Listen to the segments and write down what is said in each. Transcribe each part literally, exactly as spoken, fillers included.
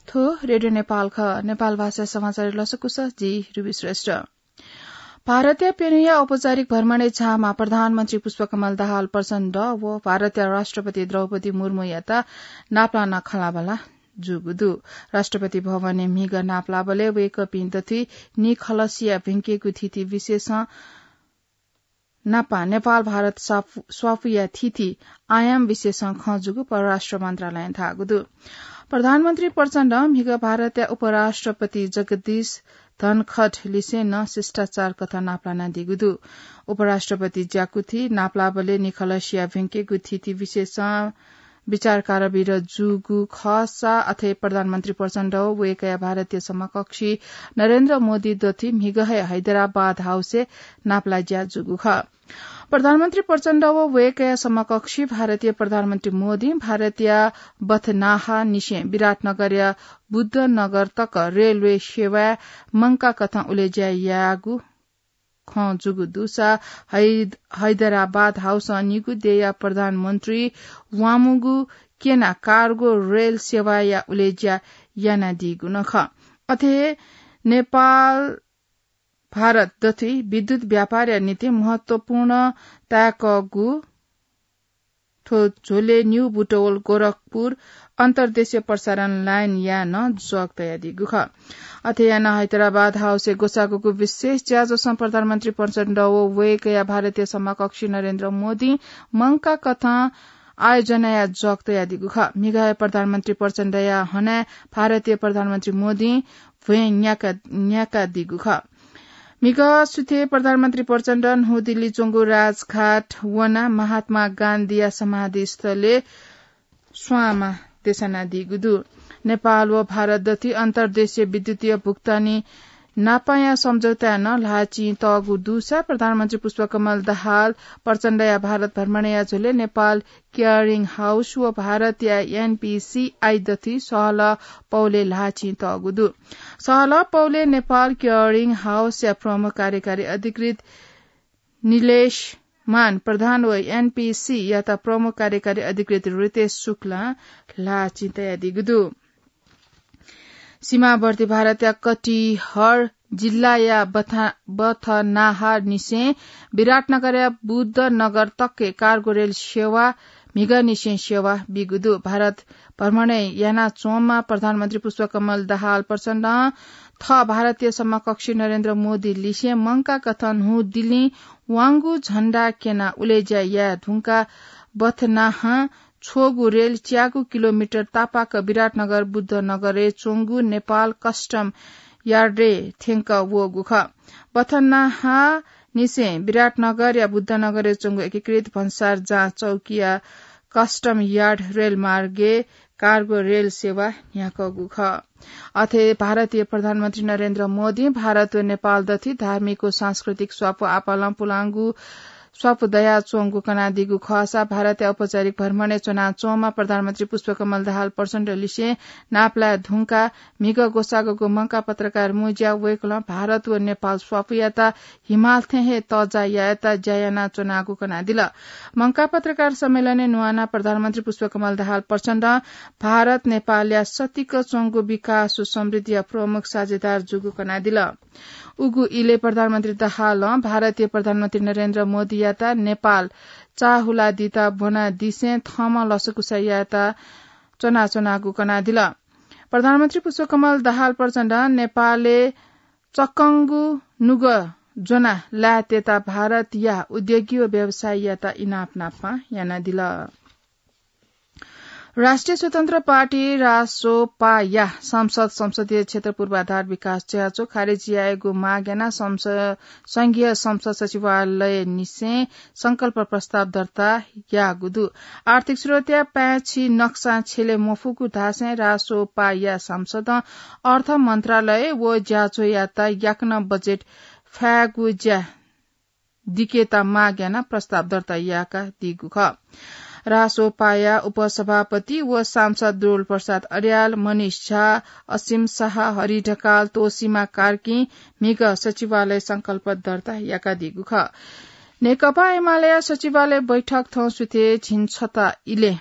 थ्व रेडियो नेपाल खः। नेपाल भाषा समाचार लसकुस, जि रुबी श्रेष्ठ। भारतया प्यन्हुया औपचारिक भ्रमणय् झाःम्ह प्रधानमन्त्री पुष्पकमल दाहाल प्रचण्ड व भारतया राष्ट्रपति द्रौपदी मुर्मुयात नापलाना खँल्हाबल्हा जूगु दु। राष्ट्रपति भवनय् म्हिगः नापलाबलय् वय्कःपिं दथुइ निखलसिया भिंकेगु थीथी विषयसं नापं नेपाल भारत स्वापु-, स्वापुया थीथी आयाम विषयसं खँ जूगु परराष्ट्र मन्त्रालयं धाःगु दु। प्रधानमन्त्री प्रचण्डं म्हिगः भारतया उपराष्ट्रपति जगदीश धनखड लिसें नं शिष्टाचार कथं नापलानादीगु दु। उपराष्ट्रपति ज्याकुथि नापलाबलय् निखलसिया भिंकेगु थीथी विषयसं विचार कारवाही जूगु खःसा अथे प्रधानमन्त्री प्रचण्ड व वय्कःया भारतीय समकक्षी नरेन्द्र मोदी दथुइ म्हिगः हे हैदराबाद हाउसय् नापलाज्या जूगु खः। प्रधानमन्त्री प्रचण्ड व वय्कःया समकक्षी भारतीय प्रधानमन्त्री मोदीं भारतया बथनाहा निसें विराटनगरया बुद्धनगर तक रेलवे सेवाय् मंकाकथं उलेज्या याःगु खँ जूगु दुसा है-, हैदराबाद हाउसं निगू देय्या प्रधानमन्त्री वामुगु क्यना कार्गो रेल सेवाया उलेज्या यानादीगु नं खः। अथे नेपाल भारत दथुइ विद्युत व्यापारया निंतिं महत्वपूर्ण ताय्कःगु थ्व झ्वलय् न्यू बुटवल गोरखपुर अन्तर्देशीय प्रसारण लाइनया नं जग तयादीगु खः। अथे यानाः हैदराबाद हाउसय् ग्वसाःगु विशेष ज्याझ्वलं प्रधानमन्त्री प्रचण्ड व वय्कःया भारतीय समकक्षी नरेन्द्र मोदीं मंकाकथं आयोजनाया जग तयादीगु खः। म्हिगः हे प्रधानमन्त्री प्रचण्डया हनाय् भारतीय प्रधानमन्त्री मोदीं भ्वय् न्याका-, न्याकादीगु खः। म्हिगः सुथय् प्रधानमन्त्री प्रचण्ड न्हूदिल्ली च्वंगु राजघाट वनाः महात्मा गान्धीया समाधिस्थलय् स्वांमा देछानादीगु दु। नेपाल व भारत दथुइ अन्तर्देशीय विद्युतीय भुक्तानी नापाया सम्झौताय् नं ल्हाःचिं तःगु दुसा प्रधानमन्त्री पुष्पकमल दाहाल प्रचण्डया भारत भ्रमणया झ्वलय् नेपाल क्लियरिङ हाउस व भारतया एनपीसीआई दथुइ सहलह पौलय् ल्हाःचिं तःगु दु। सहलह पौलय् नेपाल क्लियरिङ हाउसया प्रमुख कार्यकारी अधिकृत निलेश मान प्रधान व एनपीसीआईयात प्रमुख कार्यकारी अधिकृत रितेश शुक्लां ल्हाःचिं तयादीगु दु। सीमावर्ती भारतया कटिहार जिल्लाया बथा-, बथनाहा निसें विराटनगरया बुद्धनगर तकय् कार्गो रेल सेवा म्हिगःनिसें सेवा बीगु दु। भारत भ्रमणय् यानाच्वंम्ह प्रधानमन्त्री पुष्पकमल दाहाल प्रचण्डं थः भारतीय समकक्षी नरेन्द्र मोदी लिसें मंकाकथं न्हूदिल्लीं वांगु झण्डा क्यनाः उलेज्या याये धुंकाः बथनाहां छ्वःगु रेल च्यागू किलोमिटर तापाक विराटनगर बुद्धनगरय् च्वंगु नेपाल कस्टम यार्डय् थ्यंकः वःगु खः। बथनाहा निसें विराटनगरया बुद्धनगरय् च्वंगु एकीकृत भन्सार जाँच चौकीया कस्टम यार्ड रेलमार्गय् कार्गो रेल सेवा न्ह्याकःगु खः। अथे भारतीय प्रधानमन्त्री नरेन्द्र मोदीं भारत व नेपाल दथुइ धार्मिक व सांस्कृतिक स्वापू आपालं पुलांगु स्वापू दयाच्वंगु कनादीगु खःसा भारतया औपचारिक भ्रमणय् च्वनाच्वंम्ह प्रधानमन्त्री पुष्पकमल दाहाल प्रचण्ड लिसें नापलाये धुंकाः म्हिगः ग्वसाःगु मंकाः पत्रकार मुँज्याः वय्कलं भारत व नेपाल स्वापूयात हिमाल थें हे तःजा यायेत ज्या यानाच्वनागु कनादिल। मंकाः पत्रकार सम्मेलनय् न्वानाः प्रधानमन्त्री पुष्पकमल दाहाल प्रचण्डं भारत नेपालया सतिक च्वंगु विकास व समृद्धिया प्रमुख साझेदार जूगु कनादिल। उगु इलय् प्रधानमन्त्री दाहालं भारतीय प्रधानमन्त्री नरेन्द्र मोदीयात नेपाल चाःहुलादीत ब्वनादिसें थःम्हं लसकुस यायेत च्वनाच्वनागु कनादिल। प्रधानमन्त्री पुष्पकमल दाहाल प्रचण्डं नेपालय् चक्कंगु नुगः ज्वनाः लायेतयेत भारतया उद्योगी व व्यवसायीयात इनाप नापं यानादिल। राष्ट्रिय स्वतन्त्र पार्टी, रासोपाया सांसद संसदीय क्षेत्र पूर्वाधार विकास ज्याझ्वः खारेजी यायेगु माग यानाः संस-, संघीय संसद सचिवालय निसें संकल्प प्रस्ताव दर्ता याःगु दु। आर्थिक स्रोतया पाय्छि नक्सां छ्यले मफुगु धासें रासोपाया सांसदं अर्थ मन्त्रालय व ज्याझ्वःयात याकनं बजेट फायेगु ज्या दिकेत माग यानाः प्रस्ताव दर्ता याकादीगु खः। रासोपाया उपसभापति व सांसद दुर्लभ प्रसाद अर्याल, मनिष झा, असीम शाह, हरि ढकाल, तोसीमा कार्कीं म्हिगः सचिवालय संकल्प दर्ता याकादीगु खः। नेकपा एमालेया सचिवालय बैठक थौं सुथय् झिंछता इलय्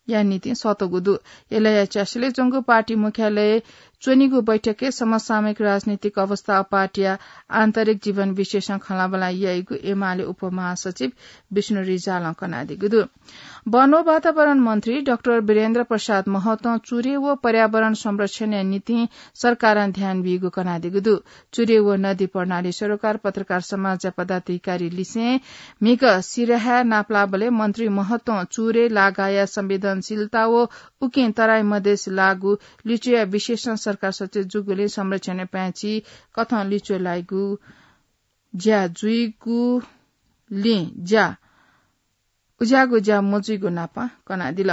या निंतिं सःतूगु दु। यलया च्यासिलय् च्वंगु पार्टी मुख्यालय च्वनीगु बैठकय् समसामयिक राजनीतिक अवस्था व पार्टीया आन्तरिक जीवन विषयसं खँल्हाबल्हा याइगु एमाले उपमहासचिव विष्णु रिजालं कनादीगु दु। वन व वातावरण मन्त्री डाक्टर वीरेन्द्र प्रसाद महतं चुरे व पर्यावरण संरक्षणया निंतिं सरकारं ध्यान बीगु कनादीगु दु। चुरे व नदी प्रणाली सरोकार पत्रकार समाजया पदाधिकारी लिसें म्हिगः सिराहाय् नापलाःबलय् मन्त्री महतं चुरे लागाया संवेदनशीलता व उकिं तराई मधेस लाःगु लिच्वया विशेषं सरकार सचेत जूगुलिं संरक्षणया पाय्छि कथं लिच्वय् लाइगु ज्या जुइगुलिं ज्या उज्याःगु ज्या मजुइगु नापं कनादिल।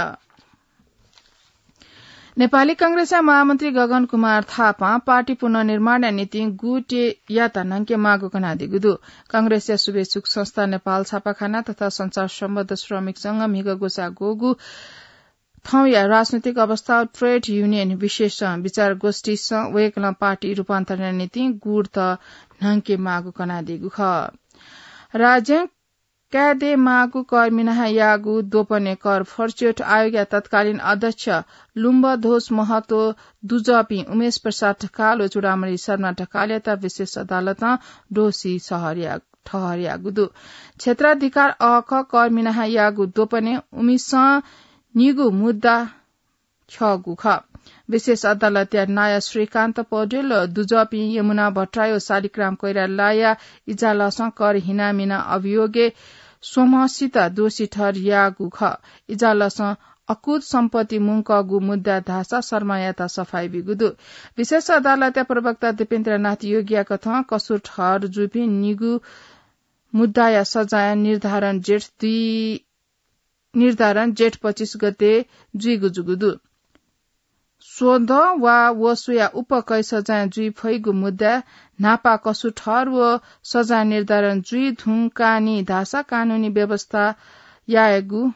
नेपाली कांग्रेसया महामन्त्री गगन कुमार थापां पार्टी पुनर्निर्माणया निंतिं गुटेयात न्हंके माःगु कनादीगु दु। कांग्रेसया शुभेच्छुक संस्था नेपाल छापाखाना तथा संचार सम्बद्ध श्रमिक संघ म्हिगः ग्वसाः ग्वःगु थौंया राजनैतिक अवस्था ट्रेड युनियन विशेषं विचार गोष्ठीसं वय्कलं पार्टी रूपान्तरणया निंतिं गुट न्हंके माःगु कनादीगु खः। राज्यं काय् दयेमाःगु कर मिनाहायाःगु द्वपनय् कर फरच्योट आयोगया तत्कालीन अध्यक्ष लुम्बध्वज महतो दुजःपिं उमेश प्रसाद ढकाल व चूडामणि शर्मा ढकालयात विशेष अदालतं दोषी ठहरया-, ठहरयाःगु दु। क्षेत्राधिकार अःखः कर मिनाहायाःगु द्वपनय् उमिसं निगू मुद्दा ख्यःगु खः। विशेष अदालतया नायः श्रीकान्त पौडेल व दुजःपिं यमुना भट्टराई व शालिग्राम कोइरालाया इजालसं कर हिनामिना अभियोगय् स्वम्हसित दोषी ठहरयाःगु खः। इजालसं अकुत सम्पत्ति मुंकःगु मुद्दा धाःसा शर्मायात सफाई बीगु दु। विशेष अदालतया प्रवक्ता दीपेन्द्रनाथ योगीया कथं कसुर ठहर जूपिं निगू मुद्दाया सजाय निर्धारण जेठ दुई, निर्धारण जेठ पच्चिस गते जुइगु जूगु दु। स्वदँ वा वसुया उप कैद सजाय जुइ फइगु मुद्दा न्हापा कसुर ठहर व सजाय निर्धारण जुइ धुंकानि धाःसा कानूनी व्यवस्था यायेगु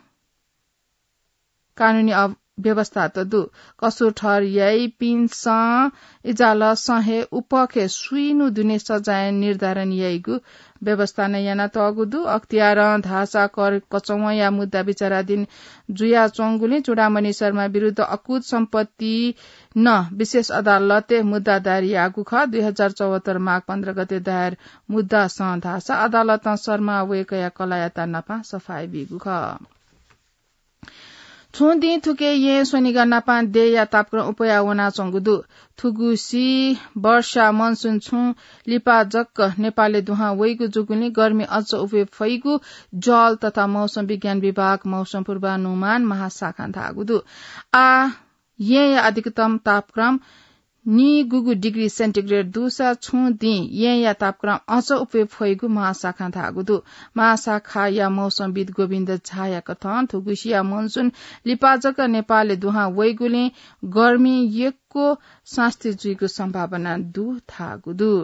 कानूनी अव-, व्यवस्था त दु। कसुर ठहर याइपिन्सं इजालसं हे उपखे सुइनु दुने सजाय निर्धारण याइगु व्यवस्था नं यानातःगु दु। अख्तियारं धाःसा कर कचवंया मुद्दा विचाराधीन जुयाच्वंगुलिं चूडामणि शर्मा विरुद्ध अकुत सम्पत्ति नं विशेष अदालतय् मुद्दा दायर याःगु खः। दुई हजार चौहत्तर माघ पन्ध्र गते दायर मुद्दासं धाःसा अदालतं शर्मा वय्कःया कलाःयात नापं सफाई बीगु खः। छुं दिं थुके येँ स्वनिगः नापं देय्‌या तापक्रम अप्वया वनाच्वंगु दु। थुगुसी वर्षा मनसुन छुं लिपा जक नेपालय् दुहां वइगु जूगुलिं गर्मी अझ अप्वये फइगु जल तथा मौसम विज्ञान विभाग मौसम पूर्वानुमान महाशाखां धाःगु दु। आः येँया अधिकतम तापक्रम निगूगु डिग्री सेन्टिग्रेड दुसा छुं दिं येँया तापक्रम अझ अप्वये फइगु महाशाखां धाःगु दु। महाशाखाया मौसमविद गोविन्द झाया कथं थुगुसिया मनसुन लिपा जक नेपालय् दुहां वइगुलिं गर्मी यक्व सास्ती जुइगु सम्भावना दु धाःगु दु।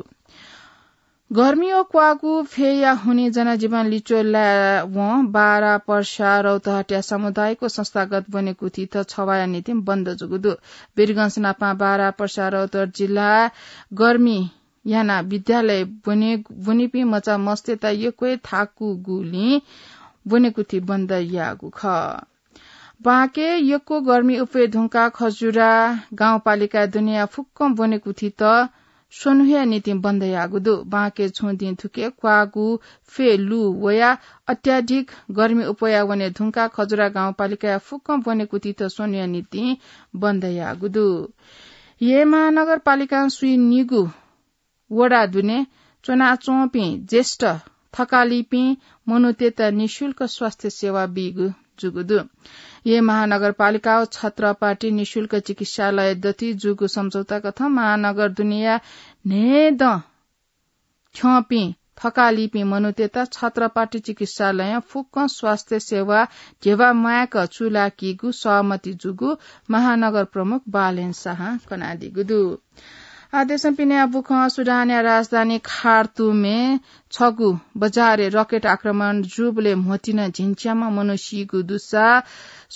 गर्मी व क्वाःगु फ्यया हुनिं जनजीवन लिच्वय् लायेवं बारा, पर्सा, रौतहटया सामुदायिक व संस्थागत ब्वनेकुथित छवाःया निंतिं बन्द जूगु दु। वीरगंज नापं बारा, पर्सा, रौतहट जिल्लाय् गर्मी यानाः विद्यालय ब्वने, ब्वनीपिं मचा मस्तय्त यक्व हे थाकुगुलिं ब्वनेकुथि बन्द याःगु खः। बांके यक्व गर्मी अप्वये धुंकाः खजुरा गाउँपालिकाय् दुनेया फुक्कं ब्वनेकुथित स्वन्हुया निंतिं बन्द याःगु दु। बांके छुं दिं थुके क्वाःगु फ्य लु वयाः अत्याधिक गर्मी अप्वया वने धुंकाः खजुरा गाउँपालिकाया फुक्कं ब्वनेकुथित स्वन्हुया निंतिं बन्द याःगु दु। येँ महानगरपालिकां स्वीनिगू वडा दुने च्वनाच्वंपिं ज्येष्ठ थकालिपिं मनूतय्त निशुल्क स्वास्थ्य सेवा बीगु जूगु दु। येँ महानगरपालिका व छत्रपट्टि निशुल्क चिकित्सालय दथुइ जूगु सम्झौता कथं महानगर दुनेया न्हय्दँ थ्यंपिं थकालिपिं मनूतय्त छत्रपट्टि चिकित्सालयं फुक्कं स्वास्थ्य सेवा ध्यबा म्वायेक चूलाकीगु सहमति जूगु महानगर प्रमुख बालेन शाहं कनादीगु दु। आः देशं पिने बुखं सुडानया राजधानी खार्तुमय् छगू बजारय् रकेट आक्रमण जूबलय् म्होतिं झिंच्याम्ह मनू सीगु दुसा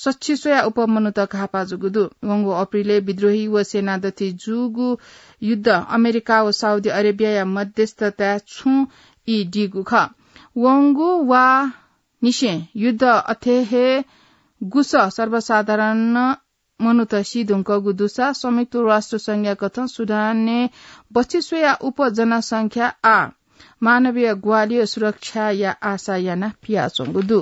सच्छि स्वयाः अप्वः मनूत घाःपाः जूगु दु। वंगु अप्रिलय् विद्रोही व सेना दथुइ जूगु युद्ध अमेरिका व साउदी अरेबियाया मध्यस्थताय् छुं ई दीगु खः। वंगु वा निसें युद्ध अथे हे गुसः सर्वसाधारण मनूत सी धुंकूगु दुसा संयुक्त राष्ट्र संघया कथं सुडानय् बच्छि स्वया उप जनसंख्या आ मानवीय ग्वाहालि सुरक्षाया आशा याना पियाच्वंगु दु।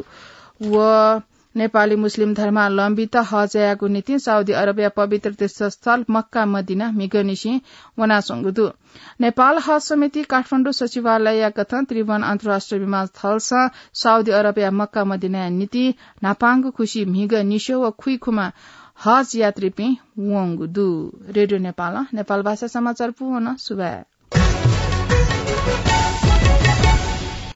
व नेपाली मुस्लिम धर्मावलम्बीत हज यायेगु निंतिं साउदी अरबया पवित्र तीर्थस्थल मक्का मदिना म्हिगःनिसें वनाच्वंगु दु। नेपाल हज समिति काठमाडौं सचिवालयया कथं त्रिभुवन अन्तर्राष्ट्रिय विमानस्थलसं साउदी अरबया मक्का मदिनाया निंतिं न्हापांगु खुसि म्हिगः निस्यः व खुइखुमा हज यात्रीपिं वंगु दु। रेडियो नेपालं नेपाल भाषा समाचार पूवन सुभाय्।